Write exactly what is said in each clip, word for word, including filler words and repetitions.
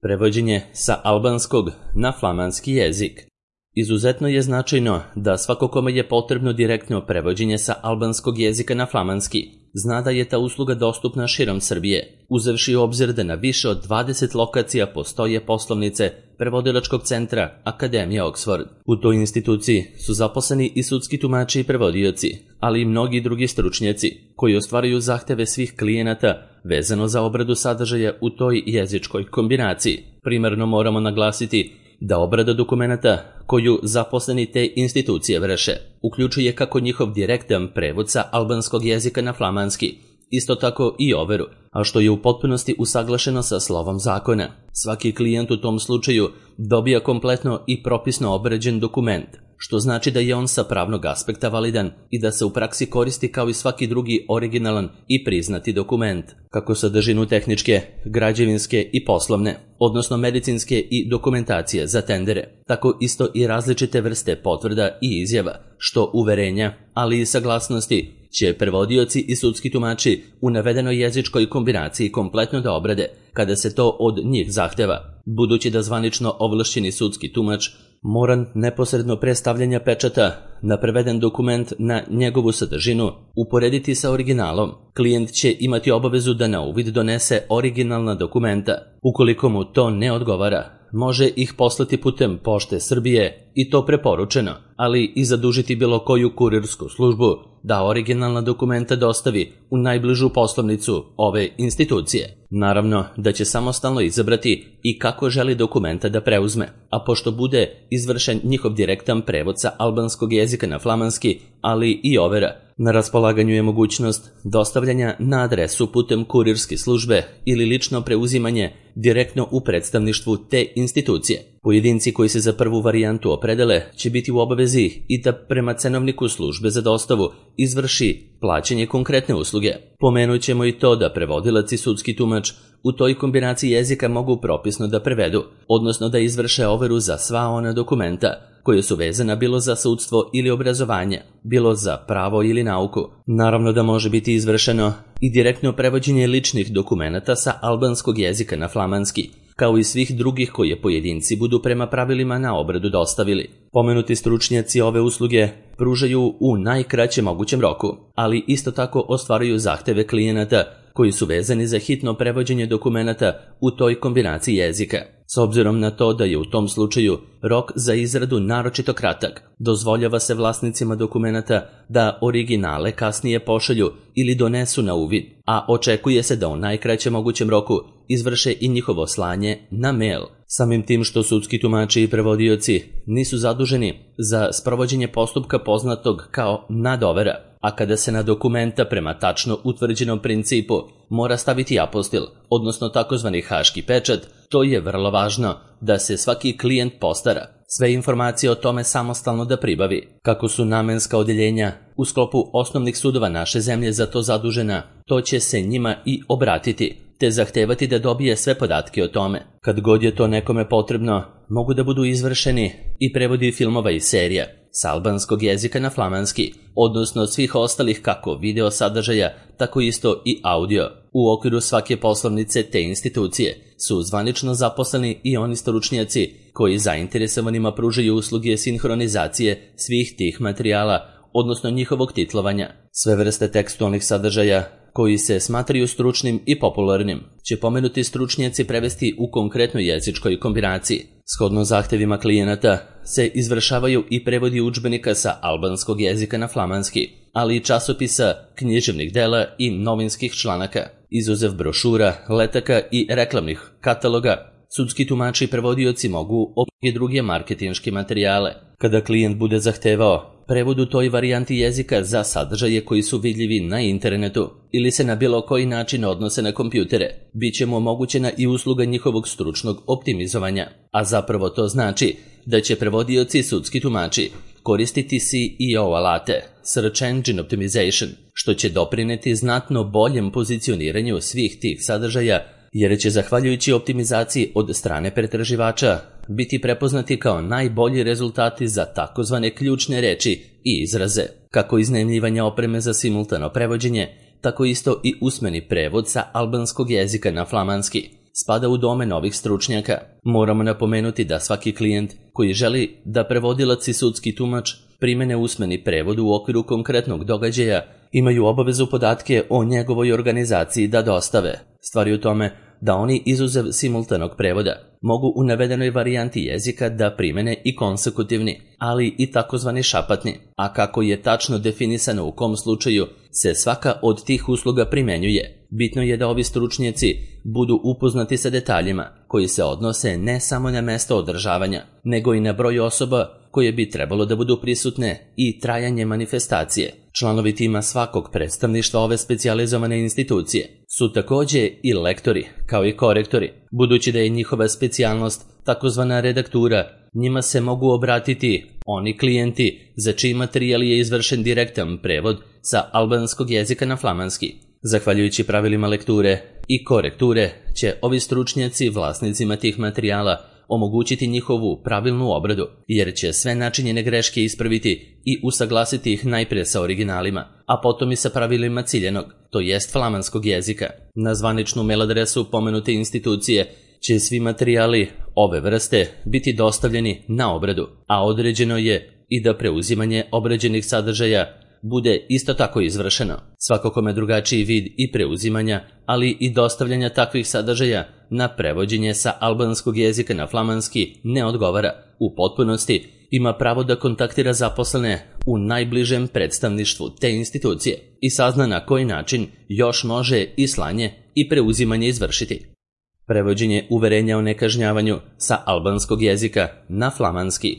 Prevođenje sa albanskog na flamanski jezik. Izuzetno je značajno da svako kome je potrebno direktno prevođenje sa albanskog jezika na flamanski zna da je ta usluga dostupna širom Srbije, uzevši u obzir da na više od dvadeset lokacija postoje poslovnice prevodilačkog centra Akademija Oxford. U toj instituciji su zaposleni i sudski tumači i prevodioci, ali i mnogi drugi stručnjaci koji ostvaruju zahteve svih klijenata vezano za obradu sadržaja u toj jezičkoj kombinaciji. Primarno moramo naglasiti da obrada dokumenata koju zaposleni te institucije vrše uključuje kako njihov direktan prevod sa albanskog jezika na flamanski, isto tako i overu, a što je u potpunosti usaglašeno sa slovom zakona. Svaki klijent u tom slučaju dobija kompletno i propisno obrađen dokument, što znači da je on sa pravnog aspekta validan i da se u praksi koristi kao i svaki drugi originalan i priznati dokument, kako sadržinu tehničke, građevinske i poslovne, odnosno medicinske i dokumentacije za tendere, tako isto i različite vrste potvrda i izjava, što uverenja, ali i saglasnosti će prevodioci i sudski tumači u navedenoj jezičkoj kombinaciji kompletno da obrade kada se to od njih zahteva, budući da zvanično ovlašćeni sudski tumač mora neposredno pre stavljanja pečata na preveden dokument na njegovu sadržinu uporediti sa originalom. Klijent će imati obavezu da na uvid donese originalna dokumenta. Ukoliko mu to ne odgovara, može ih poslati putem Pošte Srbije i to preporučeno, ali i zadužiti bilo koju kurirsku službu da originalna dokumenta dostavi u najbližu poslovnicu ove institucije. Naravno da će samostalno izabrati i kako želi dokumenta da preuzme, a pošto bude izvršen njihov direktan prevod sa albanskog jezika na flamanski, ali i overa, na raspolaganju je mogućnost dostavljanja na adresu putem kurirske službe ili lično preuzimanje direktno u predstavništvu te institucije. Pojedinci koji se za prvu varijantu opredele će biti u obavezi i da prema cenovniku službe za dostavu izvrši plaćanje konkretne usluge. Pomenut ćemo i to da prevodilac i sudski tumač u toj kombinaciji jezika mogu propisno da prevedu, odnosno da izvrše overu za sva ona dokumenta koje su vezana bilo za sudstvo ili obrazovanje, bilo za pravo ili nauku. Naravno da može biti izvršeno i direktno prevođenje ličnih dokumenata sa albanskog jezika na flamanski, kao i svih drugih koje pojedinci budu prema pravilima na obradu dostavili. Pomenuti stručnjaci ove usluge pružaju u najkraćem mogućem roku, ali isto tako ostvaruju zahteve klijenata koji su vezani za hitno prevođenje dokumenata u toj kombinaciji jezika. S obzirom na to da je u tom slučaju rok za izradu naročito kratak, dozvoljava se vlasnicima dokumenata da originale kasnije pošalju ili donesu na uvid, a očekuje se da u najkraćem mogućem roku izvrše i njihovo slanje na mail. Samim tim što sudski tumači i prevodioci nisu zaduženi za sprovođenje postupka poznatog kao nadovera, a kada se na dokumenta prema tačno utvrđenom principu mora staviti apostil, odnosno takozvani haški pečat, to je vrlo važno da se svaki klijent postara sve informacije o tome samostalno da pribavi. Kako su namenska odeljenja u sklopu osnovnih sudova naše zemlje za to zadužena, to će se njima i obratiti, te zahtevati da dobije sve podatke o tome. Kad god je to nekome potrebno, mogu da budu izvršeni i prevodi filmova i serija sa albanskog jezika na flamanski, odnosno svih ostalih kako video sadržaja, tako isto i audio. U okviru svake poslovnice te institucije su zvanično zaposleni i oni stručnjaci koji zainteresovanima pružaju usluge sinhronizacije svih tih materijala, odnosno njihovog titlovanja. Sve vrste tekstualnih sadržaja koji se smatraju stručnim i popularnim će pomenuti stručnjaci prevesti u konkretnoj jezičkoj kombinaciji. Shodno zahtevima klijenata se izvršavaju i prevodi udžbenika sa albanskog jezika na flamanski, ali i časopisa, književnih dela i novinskih članaka, izuzev brošura, letaka i reklamnih kataloga. Sudski tumači i prevodioci mogu i druge marketinške materijale. Kada klijent bude zahtevao prevod u toj varijanti jezika za sadržaje koji su vidljivi na internetu ili se na bilo koji način odnose na kompjutere, bit će mu omogućena i usluga njihovog stručnog optimizovanja, a zapravo to znači da će prevodioci i sudski tumači koristiti S E O alate, Search Engine Optimization, što će doprineti znatno boljem pozicioniranju svih tih sadržaja, jer će zahvaljujući optimizaciji od strane pretraživača biti prepoznati kao najbolji rezultati za takozvane ključne reči i izraze, kako iznajmljivanja opreme za simultano prevođenje, tako isto i usmeni prevod sa albanskog jezika na flamanski. spada u domen novih stručnjaka. Moramo napomenuti da svaki klijent koji želi da prevodilac i sudski tumač primene usmeni prevod u okviru konkretnog događaja imaju obavezu podatke o njegovoj organizaciji da dostave. Stvar je u tome da oni izuzev simultanog prevoda mogu u navedenoj varijanti jezika da primene i konsekutivni, ali i takozvani šapatni, a kako je tačno definisano u kom slučaju se svaka od tih usluga primenjuje. Bitno je da ovi stručnjaci budu upoznati sa detaljima koji se odnose ne samo na mesto održavanja, nego i na broj osoba koje bi trebalo da budu prisutne i trajanje manifestacije. Članovi tima svakog predstavništva ove specijalizovane institucije su takođe i lektori, kao i korektori. Budući da je njihova specijalnost takozvana redaktura, njima se mogu obratiti oni klijenti za čiji materijal je izvršen direktan prevod sa albanskog jezika na flamanski. Zahvaljujući pravilima lekture i korekture će ovi stručnjaci vlasnicima tih materijala omogućiti njihovu pravilnu obradu, jer će sve načinjene greške ispraviti i usaglasiti ih najpre sa originalima, a potom i sa pravilima ciljenog, to jest flamanskog jezika. Na zvaničnu mail adresu pomenute institucije će svi materijali ove vrste biti dostavljeni na obradu, a određeno je i da preuzimanje obrađenih sadržaja bude isto tako izvršeno. Svako kome drugačiji vid i preuzimanja, ali i dostavljanja takvih sadržaja na prevođenje sa albanskog jezika na flamanski ne odgovara u potpunosti, ima pravo da kontaktira zaposlene u najbližem predstavništvu te institucije i sazna na koji način još može i slanje i preuzimanje izvršiti. Prevođenje uverenja o nekažnjavanju sa albanskog jezika na flamanski.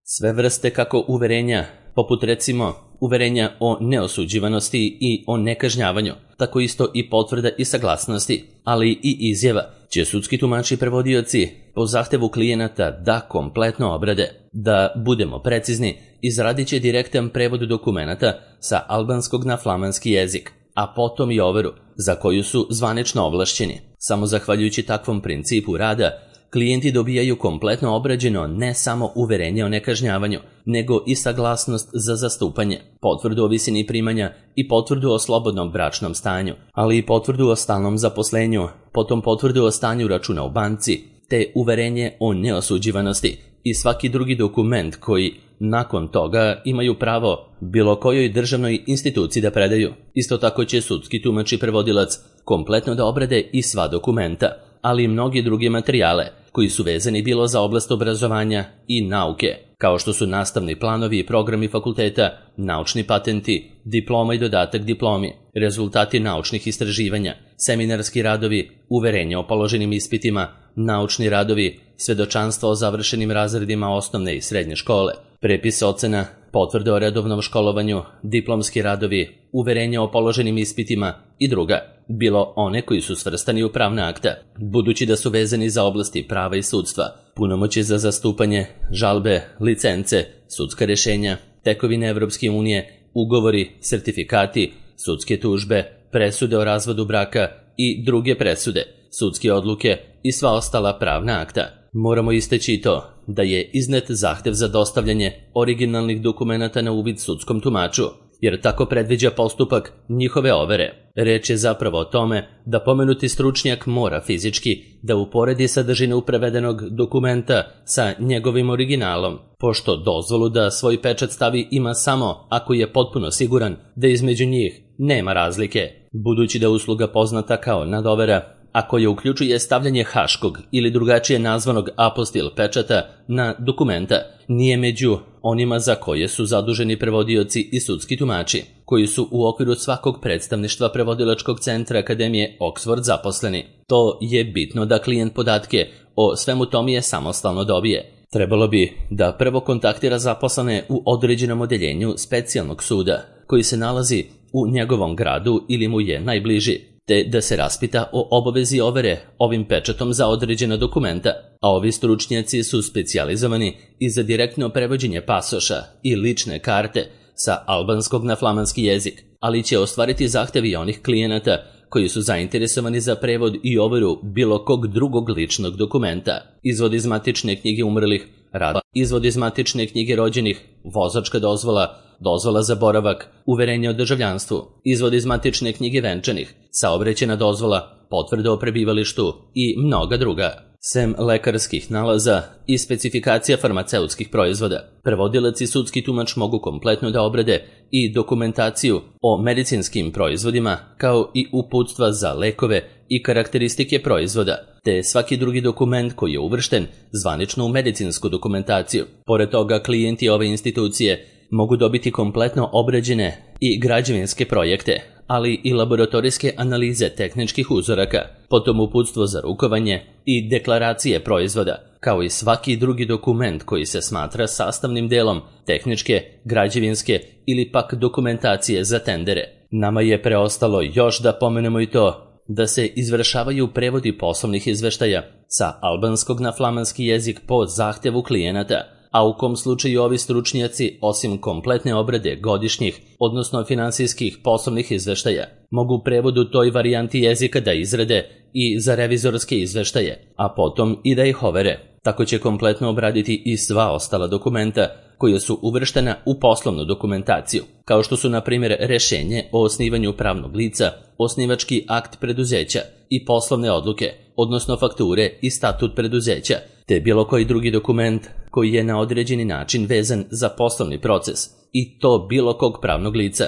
Sve vrste kako uverenja, poput recimo uverenja o neosuđivanosti i o nekažnjavanju, tako isto i potvrda i saglasnosti, ali i izjava, će sudski tumači i prevodioci po zahtevu klijenata da kompletno obrade. Da budemo precizni, izradit će direktan prevod dokumenata sa albanskog na flamanski jezik, a potom i overu, za koju su zvanično ovlašćeni. Samo zahvaljujući takvom principu rada, klijenti dobijaju kompletno obrađeno ne samo uverenje o nekažnjavanju, nego i saglasnost za zastupanje, potvrdu o visini primanja i potvrdu o slobodnom bračnom stanju, ali i potvrdu o stalnom zaposlenju, potom potvrdu o stanju računa u banci, te uverenje o neosuđivanosti i svaki drugi dokument koji nakon toga imaju pravo bilo kojoj državnoj instituciji da predaju. Isto tako će sudski tumač i prevodilac kompletno da obrade i sva dokumenta, ali i mnogi drugi materijale koji su vezani bilo za oblast obrazovanja i nauke, kao što su nastavni planovi i programi fakulteta, naučni patenti, diploma i dodatak diplomi, rezultati naučnih istraživanja, seminarski radovi, uverenja o položenim ispitima, naučni radovi, svedočanstva o završenim razredima osnovne i srednje škole, prepis ocena, potvrde o redovnom školovanju, diplomski radovi, uverenja o položenim ispitima i druga, bilo one koji su svrstani u pravna akta, budući da su vezani za oblasti prava i sudstva, punomoći za zastupanje, žalbe, licence, sudska rešenja, tekovine Evropske unije, ugovori, sertifikati, sudske tužbe, presude o razvodu braka i druge presude, sudske odluke i sva ostala pravna akta. Moramo istaći i to da je iznet zahtev za dostavljanje originalnih dokumenata na uvid sudskom tumaču, jer tako predviđa postupak njihove overe. Reč je zapravo o tome da pomenuti stručnjak mora fizički da uporedi sadržinu prevedenog dokumenta sa njegovim originalom, pošto dozvolu da svoj pečat stavi ima samo ako je potpuno siguran da između njih nema razlike. Budući da usluga poznata kao nadovera, a koja uključuje stavljanje haškog ili drugačije nazvanog apostil pečata na dokumenta, nije među onima za koje su zaduženi prevodioci i sudski tumači, koji su u okviru svakog predstavništva prevodilačkog centra Akademije Oxford zaposleni. To je bitno da klijent podatke o svemu tome samostalno dobije. Trebalo bi da prvo kontaktira zaposlene u određenom odeljenju specijalnog suda, koji se nalazi u njegovom gradu ili mu je najbliži, te da se raspita o obavezi overe ovim pečatom za određena dokumenta, a ovi stručnjaci su specijalizovani i za direktno prevođenje pasoša i lične karte sa albanskog na flamanski jezik, ali će ostvariti zahtevi onih klijenata koji su zainteresovani za prevod i overu bilo kog drugog ličnog dokumenta, izvod iz matične knjige umrlih, rada, izvod iz matične knjige rođenih, vozačka dozvola, dozvola za boravak, uverenje o državljanstvu, izvod iz matične knjige venčanih, saobraćajna dozvola, potvrde o prebivalištu i mnoga druga. Sem lekarskih nalaza i specifikacija farmaceutskih proizvoda, prevodilac i sudski tumač mogu kompletno da obrade i dokumentaciju o medicinskim proizvodima, kao i uputstva za lekove i karakteristike proizvoda, te svaki drugi dokument koji je uvršten zvanično u medicinsku dokumentaciju. Pored toga, klijenti ove institucije mogu dobiti kompletno obrađene i građevinske projekte, ali i laboratorijske analize tehničkih uzoraka, potom uputstvo za rukovanje i deklaracije proizvoda, kao i svaki drugi dokument koji se smatra sastavnim delom tehničke, građevinske ili pak dokumentacije za tendere. Nama je preostalo još da pomenemo i to da se izvršavaju prevodi poslovnih izveštaja sa albanskog na flamanski jezik po zahtevu klijenata, a u kom slučaju ovi stručnjaci, osim kompletne obrade godišnjih, odnosno finansijskih poslovnih izveštaja, mogu prevod u toj varijanti jezika da izrade i za revizorske izveštaje, a potom i da ih overe. Tako će kompletno obraditi i sva ostala dokumenta koja su uvrštena u poslovnu dokumentaciju, kao što su na primjer rešenje o osnivanju pravnog lica, osnivački akt preduzeća i poslovne odluke, odnosno fakture i statut preduzeća, te bilo koji drugi dokument koji je na određeni način vezan za poslovni proces i to bilo kog pravnog lica.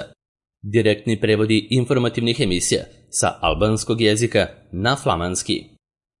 Direktni prevodi informativnih emisija sa albanskog jezika na flamanski.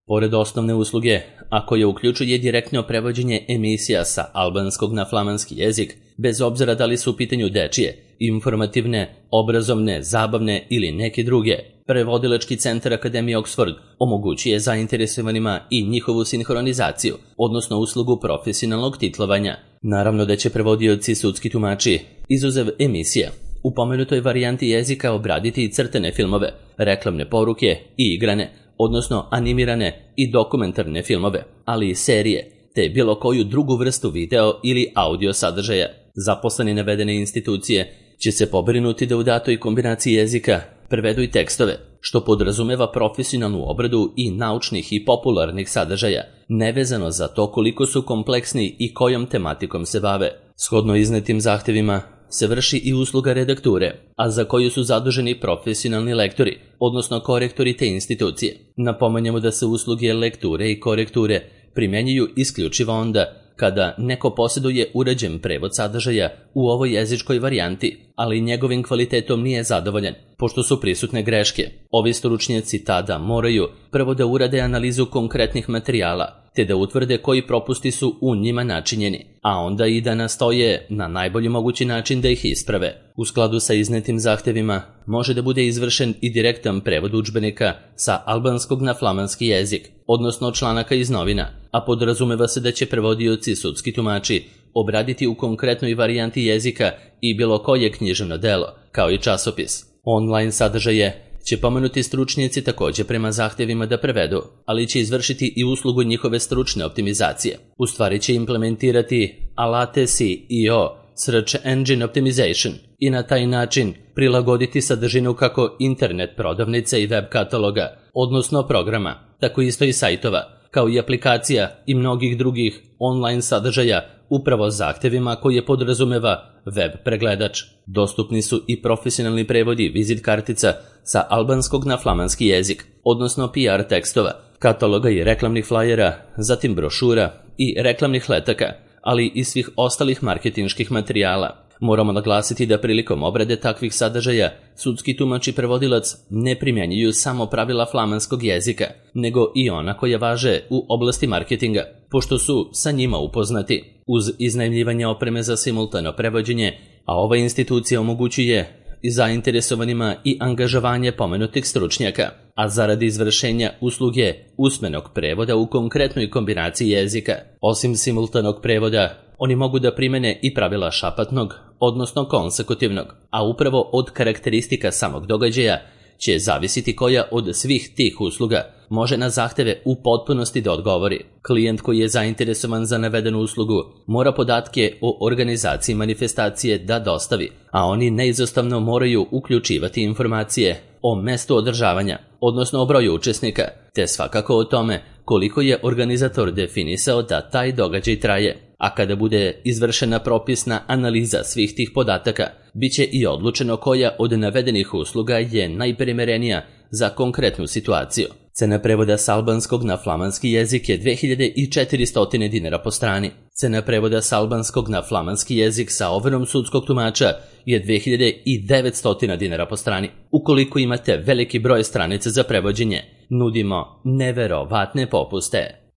Pored osnovne usluge, a koja uključuje direktno prevođenje emisija sa albanskog na flamanski jezik, bez obzira da li su u pitanju dečije, informativne, obrazovne, zabavne ili neke druge, Prevodilački centar Akademije Oxford omogućuje zainteresovanima i njihovu sinhronizaciju, odnosno uslugu profesionalnog titlovanja. Naravno da će prevodioci sudski tumači, izuzev emisija, u pomenutoj varijanti jezika obraditi i crtene filmove, reklamne poruke i igrane, odnosno animirane i dokumentarne filmove, ali i serije, te bilo koju drugu vrstu video ili audio sadržaja. Zaposleni navedene institucije će se pobrinuti da u datoj kombinaciji jezika prevedu i tekstove, što podrazumeva profesionalnu obradu i naučnih i popularnih sadržaja, nevezano za to koliko su kompleksni i kojom tematikom se bave. Shodno iznetim zahtevima se vrši i usluga redakture, a za koju su zaduženi profesionalni lektori, odnosno korektori te institucije. Napomenjamo da se usluge lekture i korekture primjenjuju isključivo onda kada neko posjeduje uređen prevod sadržaja u ovoj jezičkoj varijanti, ali njegovim kvalitetom nije zadovoljan, pošto su prisutne greške. Ovi stručnjaci tada moraju prvo da urade analizu konkretnih materijala, te da utvrde koji propusti su u njima načinjeni, a onda i da nastoje na najbolji mogući način da ih isprave. U skladu sa iznetim zahtevima može da bude izvršen i direktan prevod udžbenika sa albanskog na flamanski jezik, odnosno članaka iz novina, a podrazumeva se da će prevodioci sudski tumači obraditi u konkretnoj varijanti jezika i bilo koje književno delo, kao i časopis. Online sadržaje će pomenuti stručnjaci također prema zahtevima da prevedu, ali će izvršiti i uslugu njihove stručne optimizacije. U stvari će implementirati alate S E O, Search Engine Optimization, i na taj način prilagoditi sadržinu kako internet prodavnice i web kataloga, odnosno programa, tako isto i sajtova, kao i aplikacija i mnogih drugih online sadržaja upravo zahtevima koje podrazumeva web pregledač. Dostupni su i profesionalni prevodi vizit kartica sa albanskog na flamanski jezik, odnosno P R tekstova, kataloga i reklamnih flajera, zatim brošura i reklamnih letaka, ali i svih ostalih marketinških materijala. Moramo naglasiti da prilikom obrade takvih sadržaja sudski tumač i prevodilac ne primjenjuju samo pravila flamanskog jezika, nego i ona koja važe u oblasti marketinga, pošto su sa njima upoznati. Uz iznajmljivanje opreme za simultano prevođenje, a ova institucija omogućuje i zainteresovanima i angažovanje pomenutih stručnjaka, a zaradi izvršenja usluge usmenog prevoda u konkretnoj kombinaciji jezika. Osim simultanog prevoda, oni mogu da primene i pravila šapatnog, odnosno konsekutivnog, a upravo od karakteristika samog događaja će zavisiti koja od svih tih usluga može na zahteve u potpunosti da odgovori. Klijent koji je zainteresovan za navedenu uslugu mora podatke o organizaciji manifestacije da dostavi, a oni neizostavno moraju uključivati informacije o mestu održavanja, odnosno o broju učesnika, te svakako o tome koliko je organizator definisao da taj događaj traje. A kada bude izvršena propisna analiza svih tih podataka, bit će i odlučeno koja od navedenih usluga je najprimerenija za konkretnu situaciju. Cena prevoda s albanskog na flamanski jezik je dve hiljade četiristo dinara po strani. Cena prevoda s albanskog na flamanski jezik sa overom sudskog tumača je dve hiljade devetsto dinara po strani. Ukoliko imate veliki broj stranica za prevođenje, nudimo neverovatne popuste.